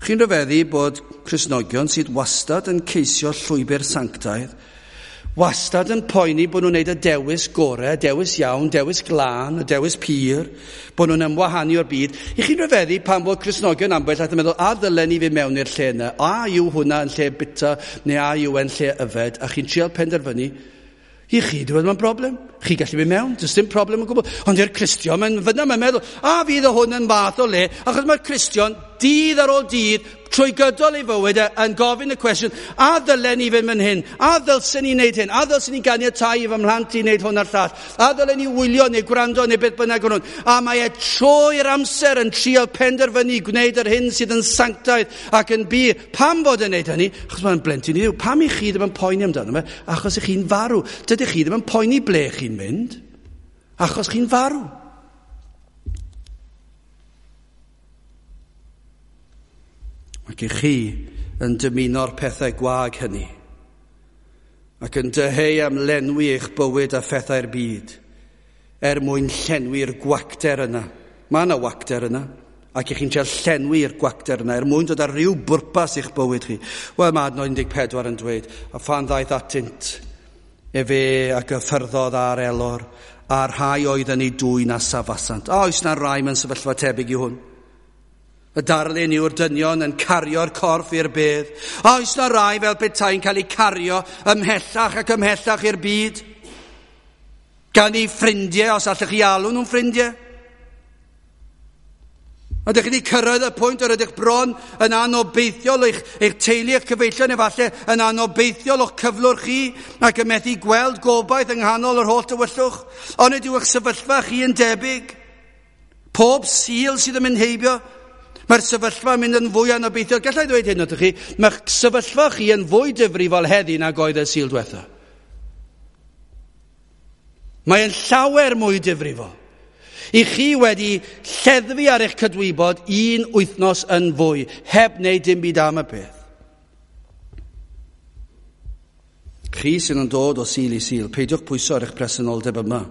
Chi'n rhyfeddu bod Cristnogion sydd wastad yn ceisio llwybr sanctaidd, wastad yn poeni bod nhw'n gwneud y dewis gorau, dewis iawn, dewis glân, y dewis pur, bod nhw'n ymwahanu o'r byd. I chi'n rhyfeddu pan bod Cristnogion ambell at yn meddwl, a ddylen ni fynd mewn i'r lle yna? A yw hwnna yn lle bita, neu a yw e'n lle yfed? A chi'n trial penderfynu, i chi, dwi'n meddwl, mae'n broblem. Chi gallu mynd mewn, does dim problem o gwbl. Ond i'r Cristion, mae'n fyna, mae'n meddwl, a fydd o hwn yn fath o le, achos mae'r Cristion, dydd ar ôl dydd, trwy gydol ei fywyd e, yn gofyn y cwestiwn, a ddylen ni fynd fan hyn, a ddylsen ni wneud hyn, a ddylsen ni ganiatáu i fy mhlant i wneud hwn a'r llall, a ddylen ni wylio neu gwrando neu beth bynnag o'n hwn. A mae e trwy'r amser yn trio penderfynu gwneud yr hyn sydd yn sanctaidd ac yn bur. Pam fod yn wneud hynny? Achos mae'n blentyn i Dduw. Pam i chi ddim yn poeni amdano fe? Achos i chi'n farw. Dydych chi ddim yn poeni ble chi'n mynd, achos chi'n farw. Ac i chi yn dymuno'r pethau gwag hynny, ac yn dyheu am lenwi eich bywyd a phethau'r byd, er mwyn llenwi'r gwacter yna. Mae yna wacter yna, ac i chi'n trio llenwi'r gwacter yna, er mwyn dod ar ryw bwrpas i'ch bywyd chi. Wel, mae adnod 14 yn dweud, a phan ddaeth atynt, efe ac yffyrddodd ar elor, a'r rhai oedd yn ei dwyn a safasant. A oes na rai mewn sefyllfa tebyg i hwn? Y darlun yw'r dynion yn cario'r corff i'r bedd. A oes na rai fel petai'n cael eu cario ymhellach ac ymhellach i'r byd? Gan eu ffrindiau, os allwch chi alw nhw'n ffrindiau. Ydych chi wedi cyrraedd y pwynt yr ydych bron yn anobeithiol eich teulu, eich cyfeillion, efallai yn anobeithiol o'ch cyflwr chi ac yn methu gweld gobaith yng nghanol yr holl tywyllwch. Ond ydyw eich sefyllfa chi yn debyg? Pob Sul sydd yn mynd heibio, mae'r sefyllfa yn mynd yn fwy anobeithiol. Gallai ddweud hyn wrthych chi, mae'ch sefyllfa chi yn fwy difrifol heddi nag oedd y Sul diwetha. Mae'n llawer mwy difrifol. I chi wedi lleddfu ar eich cydwybod un wythnos yn fwy, heb wneud dim byd am y peth. Chi sydd yn dod o Sul i Sul, peidiwch pwyso ar eich presenoldeb yma,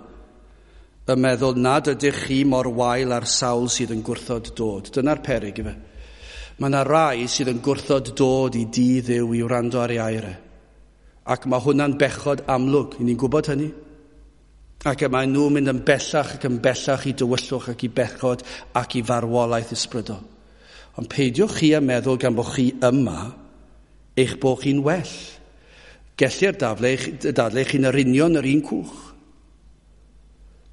yn meddwl nad ydych chi mor wael ar sawl sydd yn gwrthod dod. Dyna'r peryg ife. Mae yna rai sydd yn gwrthod dod i dŷ Dduw i wrando ar ei air e. Ac mae hwnna'n bechod amlwg, i ni'n gwybod hynny. Ac y mae nhw'n mynd yn bellach ac yn bellach i dywyllwch ac i bechod ac i farwolaeth ysbrydol. Ond peidiwch chi â meddwl gan bod chi yma eich bod chi'n well. Gellir dadlau chi'n yr union yr un cwch.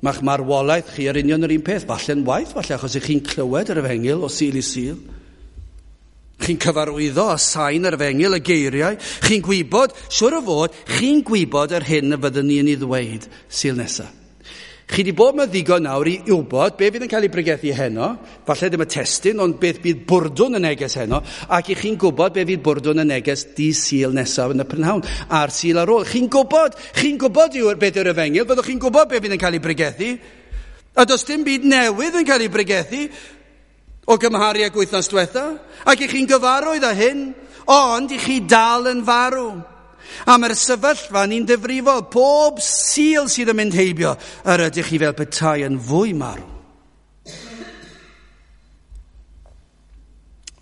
Mae'ch marwolaeth chi yr union yr un peth, falle'n waith, falle achos ych chi'n clywed yr efengyl o Sul i Sul. Chi'n cyfarwyddo a sain yr efengyl, y geiriau. Chi'n gwybod, siwr o fod, chi'n gwybod yr hyn y fyddwn ni yn ei ddweud Sul nesaf. Chi wedi bod mewn ddigon nawr i wybod be fydd yn cael ei bregethu heno, falle ddim y testun, ond beth bydd bwrdwn y neges heno, ac i chi'n gwybod be fydd bwrdwn y neges di Sul nesaf yn y prynhawn, a'r Sul ar ôl. Chi'n gwybod yw'r beth yw'r efengyl, byddwch chi'n gwybod be fydd yn cael ei bregethu, a does dim byd newydd yn cael ei bregethu o gymharu ag wythnos diwetha, ac i chi'n gyfarwydd â hyn, ond i chi dal yn farw. A mae'r sefyllfa ni'n ddifrifol. Pob Sul sydd yn mynd heibio, yr ydych chi fel petai yn fwy marw.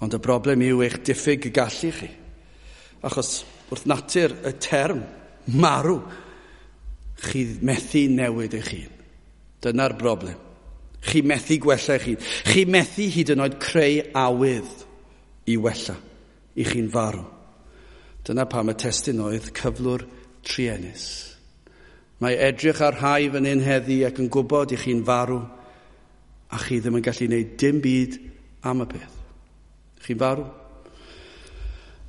Ond y broblem yw eich diffyg gallu chi. Achos wrth natur y term marw, chi methu newid eich hun. Dyna'r broblem. Chi methu gwella eich hun. Chi methu hyd yn oed creu awydd i wella, i chi'n farw. Dyna pam y testun oedd cyflwr truenus. Mae edrych ar rhai fan hyn heddi ac yn gwybod i chi'n farw a chi ddim yn gallu gwneud dim byd am y peth. Chi'n farw.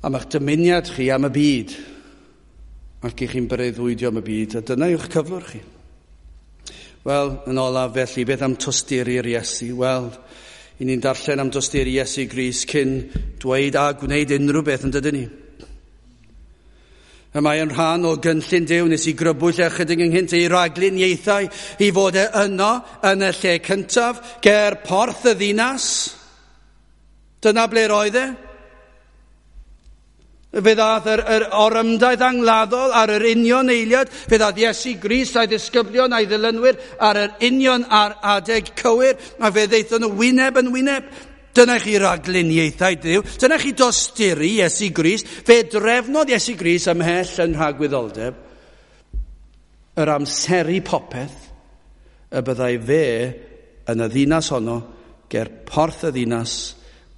Am eich dymuniad chi am y byd ac i chi'n breuddwydio am y byd, a dyna yw'ch cyflwr chi. Wel, yn olaf felly, beth am tosturi'r Iesu? Wel, i ni'n darllen am dosturi Iesu Grist cyn dweud a gwneud unrhyw beth yn dydyn ni. Y mae yn rhan o gynllun Duw nes i grybwyll ychydig ynghynt ei ragluniaethau i fod e yno yn y lle cyntaf ger porth y ddinas. Dyna ble roedd e. Fe ddaeth yr orymdaith angladdol ar yr union eiliad. Fe ddaeth Iesu Grist a'i ddisgyblion a'i ddilynwyr ar yr union ar adeg cywir, a fe ddaethon nhw wyneb yn wyneb. Dyna chi ragluniaethau Duw. Dyna chi dosturi Iesu Grist. Fe drefnodd Iesu Grist ymhell yn rhagwyddoldeb yr amseru popeth y byddai fe yn y ddinas honno ger porth y ddinas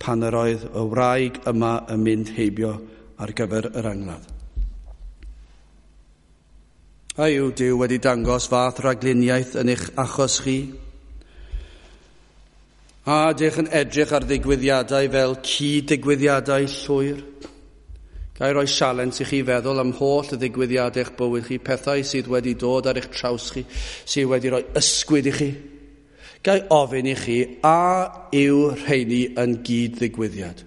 pan yr oedd y wraig yma yn mynd heibio ar gyfer yr angladd. A yw Duw wedi dangos fath ragluniaeth yn eich achos chi? A ydych yn edrych ar ddigwyddiadau fel cyd-ddigwyddiadau llwyr? Ga i roi sialens i chi feddwl am holl y ddigwyddiadau eich bywyd chi, pethau sydd wedi dod ar eich traws chi, sydd wedi rhoi ysgwyd i chi. Ga i ofyn i chi, a yw rheini yn gyd-ddigwyddiad?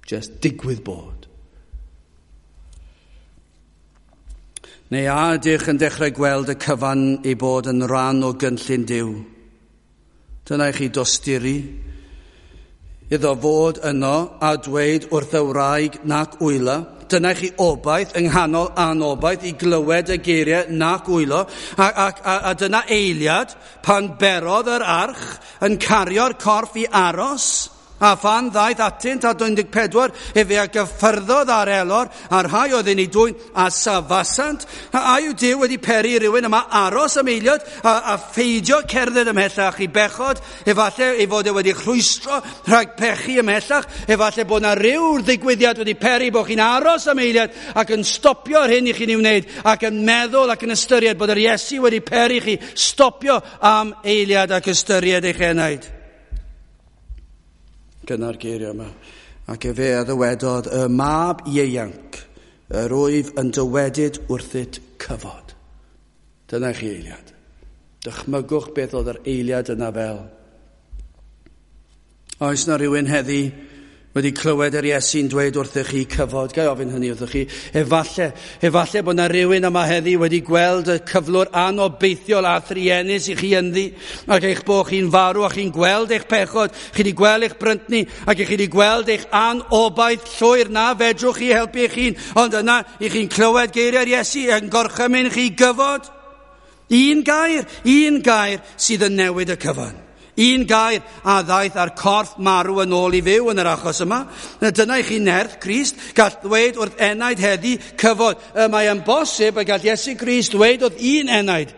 Just digwydd bod. Neu a ydych yn dechrau gweld y cyfan ei bod yn rhan o gynllun Duw? Dyna i chi dosturi iddo fod yno a dweud wrth y wraig nac wyla. Dyna i chi obaith yng nghanol anobaith i glywed y geiriau nac wylo. A dyna eiliad pan berodd yr arch yn cario'r corff i aros. A phan ddaeth atynt a 14, efe a gyffyrddodd ar elor, a'r rhai oedd yn ei dwyn a safasant. A yw Duw wedi peri rhywun yma aros am eiliad a pheidio cerdded ymhellach i bechod, efallai ei fod e wedi rhwystro rhag pechu ymhellach, efallai bod na ryw ddigwyddiad wedi peri bod chi'n aros am eiliad ac yn stopio yr hyn i chi'n ei wneud ac yn meddwl ac yn ystyried bod yr Iesu wedi peri chi stopio am eiliad ac ystyried eich enaid. Gyna'r geiriau yma. Ac efe a ddywedodd, y mab ieuanc, yr wyf yn dywedyd wrthyt cyfod. Dyna chi eiliad. Dychmygwch beth oedd yr eiliad yna fel. Oes na rhywun heddi wedi clywed yr Iesu'n dweud wrthych chi cyfod? Ga i ofyn hynny wrthych chi. Efallai bod na rhywun yma heddi wedi gweld y cyflwr anobeithiol a thruenus i chi ynddi, ac eich bod chi'n farw a chi'n gweld eich pechod, chi wedi gweld eich bryntni, ac chi wedi gweld eich anobaith llwyr na fedrwch chi helpu eich hun, ond yna i chi'n clywed geiriau'r Iesu yn gorchymyn chi gyfod. Un gair sydd yn newid y cyfan. Un gair a ddaeth ar corff marw yn ôl i fyw yn yr achos yma. Dyna i chi nerth Crist, gall ddweud wrth enaid heddi cyfod. Mae yn bosib y gall Iesu Grist ddweud wrth un enaid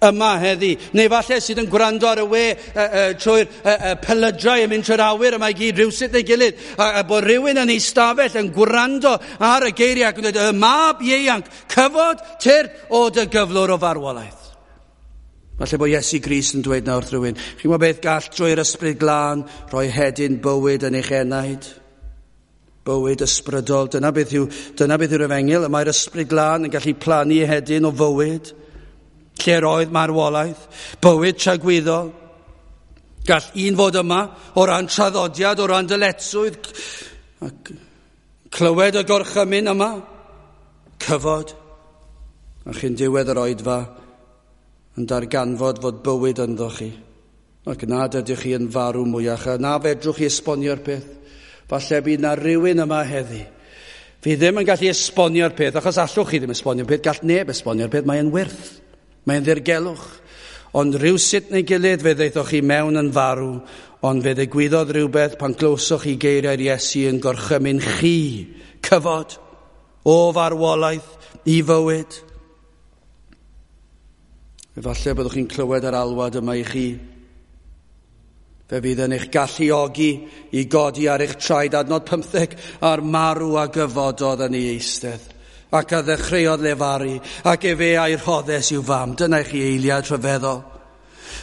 yma heddi. Neu falle sydd yn gwrando ar y we trwy'r pelydrau yn mynd trwy'r awyr yma i gyd rhywsut neu gilydd. A bod rhywun yn ei stafell yn gwrando ar y geiriau ac yn dweud, y mab ieuanc, cyfod tyrd o dy gyflwr o farwolaeth. Falle bod Iesu Grist yn dweud nawr wrth rhywun, chi'n gwybod beth gall drwy'r ysbryd glân rhoi hedyn bywyd yn eich enaid? Bywyd ysbrydol, dyna beth yw'r efengyl. Y mae'r ysbryd glân yn gallu plannu hedyn o fywyd, lle roedd marwolaeth, bywyd tragwyddol. Gall un fod yma o ran traddodiad, o ran dyletswydd, ac clywed y gorchymyn yma, cyfod, a chi'n diwedd yr oedfa yn darganfod fod bywyd ynddo chi, ac nad ydych chi yn farw mwyach, a na fedrwch chi esbonio'r peth. Falle bydd na rhywun yma heddi. Fi ddim yn gallu esbonio'r peth, achos allwch chi ddim esbonio'r peth, gall neb esbonio'r peth, mae'n wyrth, mae'n ddirgelwch. Ond rhywsut neu gilydd fe ddaethoch chi mewn yn farw, ond fe ddigwyddodd rhywbeth pan glywsoch chi geiriau'r Iesu yn gorchymyn chi, cyfod, o farwolaeth i fywyd. Efallai byddwch chi'n clywed yr alwad yma i chi. Fe fydd yn eich galluogi i godi ar eich traed, adnod 15, a'r marw a gyfododd yn ei eistedd, ac a ddechreuodd lefaru, ac efe a'i rhoddes i'w fam. Dyna i chi eiliad rhyfeddol.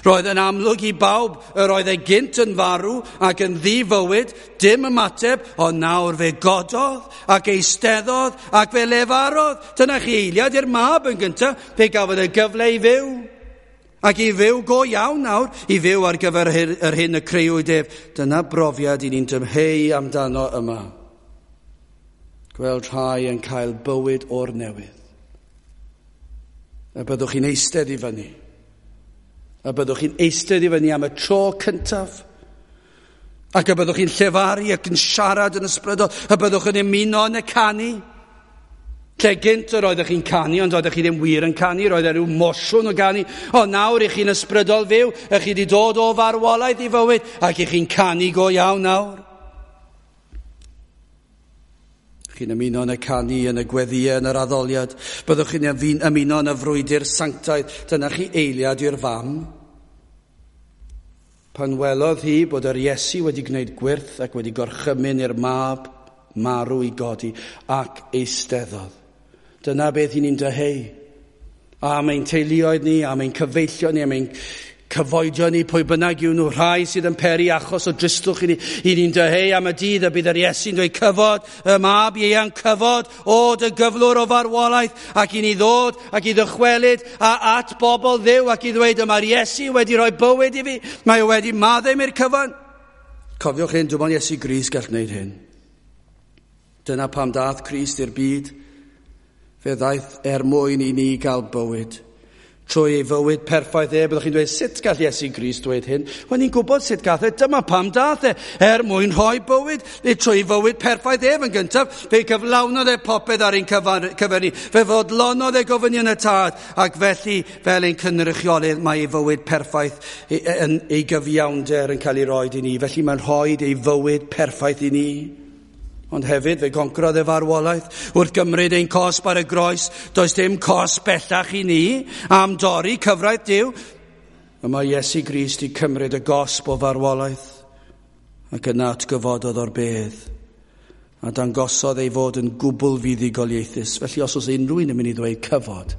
Roedd yn amlwg i bawb yr oedd e gynt yn farw ac yn ddifywyd, dim ymateb, ond nawr fe gododd ac eisteddodd ac fe lefarodd. Dyna chi eiliad i'r mab yn gyntaf, fe gafodd e gyfle i fyw. Ac i fyw go iawn nawr, i fyw ar gyfer yr hyn y creuwyd ef. Dyna brofiad i ni'n dymheu amdano yma. Gweld rhai yn cael bywyd o'r newydd. A byddwch chi'n eistedd i fyny. A byddwch chi'n eistedd i fyny am y tro cyntaf. Ac y byddwch chi'n llefaru ac yn siarad yn ysbrydol. A byddwch yn ymuno yn y canu. Lle gynt yr oeddech chi'n canu, ond oeddech chi ddim wir yn canu, roedd e rhyw mosiwn o ganu. Ond nawr i chi'n ysbrydol fyw, ych chi wedi dod o farwolaeth i fywyd, ac i chi'n canu go iawn nawr. Chi'n ymuno yn y canu, yn y gweddïau, yn yr addoliad. Byddwch chi'n ymuno yn y frwydr sanctaidd. Dyna chi eiliad i'r fam. Pan welodd hi bod yr Iesu wedi gwneud gwyrth ac wedi gorchymyn i'r mab marw i godi ac eisteddodd. Dyna beth i ni'n dyheu. Am ein teuluoedd ni, am ein cyfeillion ni, am ein cyfoedion ni, pwy bynnag yw nhw, rhai sydd yn peri achos o dristwch i ni. I ni'n dyheu am y dydd y bydd yr Iesu'n dweud cyfod, y mab ieuan cyfod, o dy gyflwr o farwolaeth, ac i ni ddod ac i ddychwelyd a at bobl Dduw ac i ddweud y mae'r Iesu wedi rhoi bywyd i fi, mae o wedi maddau mi'r cyfan. Cofiwch hyn, dim ond Iesu Grist gall wneud hyn. Dyna pam dath Crist i'r byd. Fe ddaeth er mwyn i ni gael bywyd. Trwy ei fywyd perffaith e, byddwch chi'n dweud, sut gall Iesu Grist dweud hyn? Wel, ni'n gwybod sut gath e, dyma pam dath e, er mwyn rhoi bywyd. Trwy ei fywyd perffaith ef yn gyntaf, fe gyflawnodd e popeth ar ein cyfer ni. Fe fodlonodd e gofynion y tad, ac felly, fel ein cynrychiolydd, mae ei fywyd perffaith yn ei gyfiawnder yn cael ei roed i ni. Felly mae'n rhoi ei fywyd perffaith i ni. Ond hefyd fe goncrodd e farwolaeth wrth gymryd ein cosb ar y groes. Does dim cosb bellach i ni am dorri cyfraith Duw. Y mae Iesu Grist i cymryd y gosb o farwolaeth ac yna atgyfododd o'r bedd a dangosodd ei fod yn gwbl fuddugoliaethus. Felly os oes unrhyw un yn mynd i ddweud cyfod,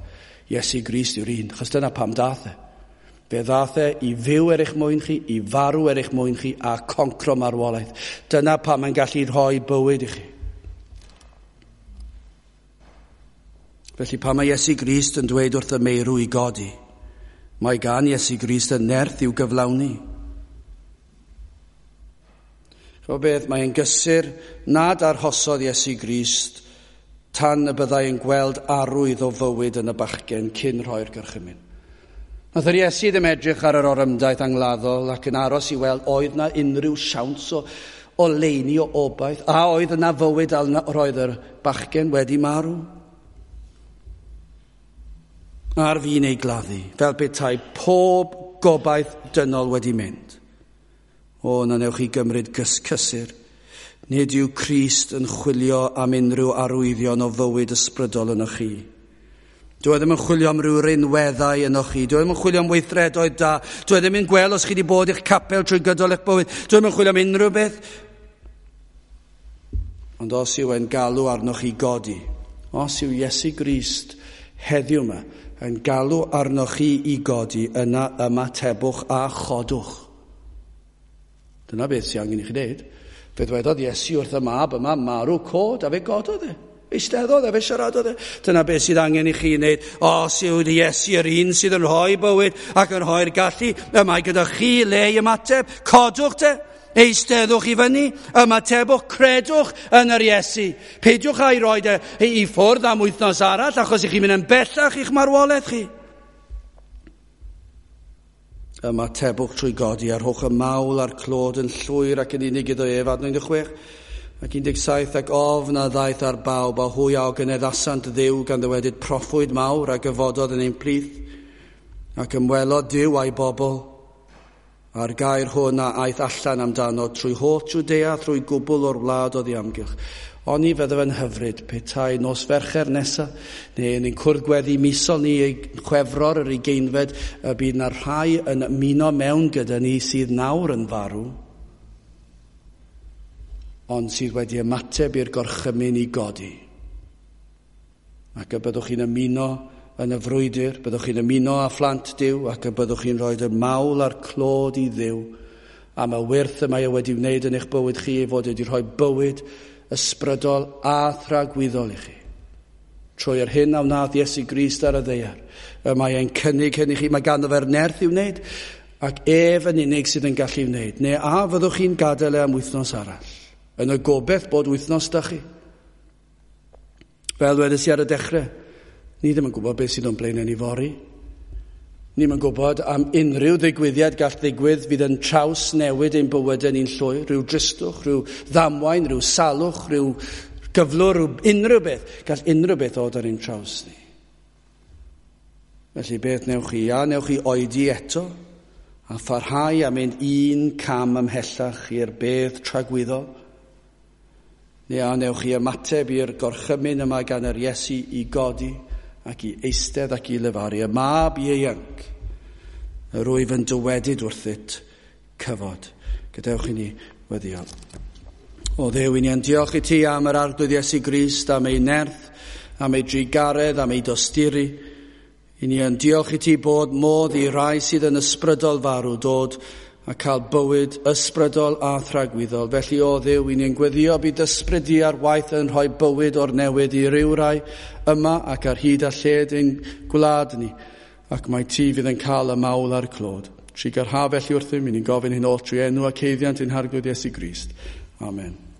Iesu Grist yw'r un, achos dyna pam dath e. Fe ddath e i fyw er eich mwyn chi, i farw er eich mwyn chi, a concro marwolaeth. Dyna pam mae'n gallu rhoi bywyd i chi. Felly pan mae Iesu Grist yn dweud wrth y meirw i godi, mae gan Iesu Grist y nerth i'w gyflawni. Ch'mo beth, mae'n gysur nad arhosodd Iesu Grist tan y byddai yn gweld arwydd o fywyd yn y bachgen cyn rhoi'r gorchymyn. Nath yr Iesu ddim edrych ar yr orymdaith angladdol ac yn aros i weld oedd na unrhyw siawns o leini o obaith, a oedd yna fywyd a roedd yr bachgen wedi marw. Ar fin ei gladdu, fel petai pob gobaith dynol wedi mynd. O, na newch chi gymryd cysur. Nid yw Crist yn chwilio am unrhyw arwyddion o fywyd ysbrydol ynoch chi. Dwi ddim yn chwilio am ryw rinweddau ynoch chi. Dwi ddim yn chwilio am weithredoedd da. Dwi ddim yn gweld os chi wedi bod i'ch capel trwy gydol eich bywyd. Dwi ddim yn chwilio am unrhyw beth. Ond os yw e'n galw arnoch chi godi, os yw Iesu Grist heddiw yma yn galw arnoch chi i godi, yna ymatebwch a chodwch. Dyna beth sy'n angen i chi wneud. Fe ddwedodd Iesu wrth y mab yma, marw cod, a fe gododd e. Eisteddodd e, fe siaradodd e. Dyna beth sydd angen i chi wneud. Os yw Iesu yr un sydd yn rhoi bywyd ac yn rhoi'r gallu, y mae gyda chi le i ymateb. Codwch te. Eisteddwch i fyny, ymatebwch, credwch yn yr Iesu. Peidiwch â'i roed i ffwrdd am wythnos arall, achos i chi'n mynd yn bellach i'ch marwolaeth chi. Ymatebwch trwy godi a rhowch y mawl a'r clod yn llwyr ac yn unig iddo ef, adnod 16 ac 17, ac ofn a ddaeth ar bawb, a hwy a ogoneddasant Dduw gan ddywedyd proffwyd mawr a gyfododd yn ein plith, ac ymwelodd Duw a'i bobl, a'r gair hwn a aeth allan amdano trwy holl Jwdea, trwy gwbl o'r wlad oddi amgylch. Oni fydde fe'n hyfryd petai nos Fercher nesa, neu yn ein cwrdd gweddi misol ni ei Chwefror yr 20fed, y bydd na rhai yn ymuno mewn gyda ni sydd nawr yn farw, ond sydd wedi ymateb i'r gorchymyn i godi. Ac y byddwch chi'n ymuno yn y frwydr, byddwch chi'n ymuno â phlant Duw, ac y byddwch chi'n rhoi y mawl a'r clod i Dduw am y wyrth y mae e wedi wneud yn eich bywyd chi, ei fod wedi rhoi bywyd ysbrydol a thragwyddol i chi. Trwy yr hyn a wnaeth Iesu Grist ar y ddaear, y mae e'n cynnig hyn i chi, mae ganddo fe'r nerth i'w wneud, ac ef yn unig sydd yn gallu wneud. Neu a fyddwch chi'n gadael e am wythnos arall, yn y gobeith bod wythnos da chi. Fel wedes i ar y dechrau, ni ddim yn gwybod beth sydd o'n blaenau ni fory. Ni ddim yn gwybod am unrhyw ddigwyddiad gall ddigwydd fydd yn traws newid ein bywydau ni'n llwyr, rhyw dristwch, rhyw ddamwain, rhyw salwch, rhyw gyflwr, rhyw unrhyw beth. Gall unrhyw beth ddod ar ein traws ni. Felly beth newch chi? A newch chi oedi eto a pharhau a mynd un cam ymhellach i'r bedd tragwyddol? Neu a newch chi ymateb i'r gorchymyn yma gan yr Iesu i godi ac i eistedd ac i lefaru, y mab ieuanc, yr wyf yn dywedyd wrthyt, cyfod. Gadewch i ni weddïo. O Dduw, i ni yn diolch i ti am yr Arglwydd Iesu Grist, am ei nerth, am ei drugaredd, am ei dosturi. I ni yn diolch i ti bod modd i rai sydd yn ysbrydol farw dod a cael bywyd ysbrydol a thragwyddol. Felly, o Dduw, i ni'n gweddio bydd ysbryd di ar waith yn rhoi bywyd o'r newydd i ryw rai yma ac ar hyd a lled ein gwlad ni, ac mae ti fydd yn cael y mawl a'r clod. Trugarha felly wrthym, i ni'n gofyn hyn oll trwy enw ac haeddiant ein Harglwydd Iesu Grist. Amen.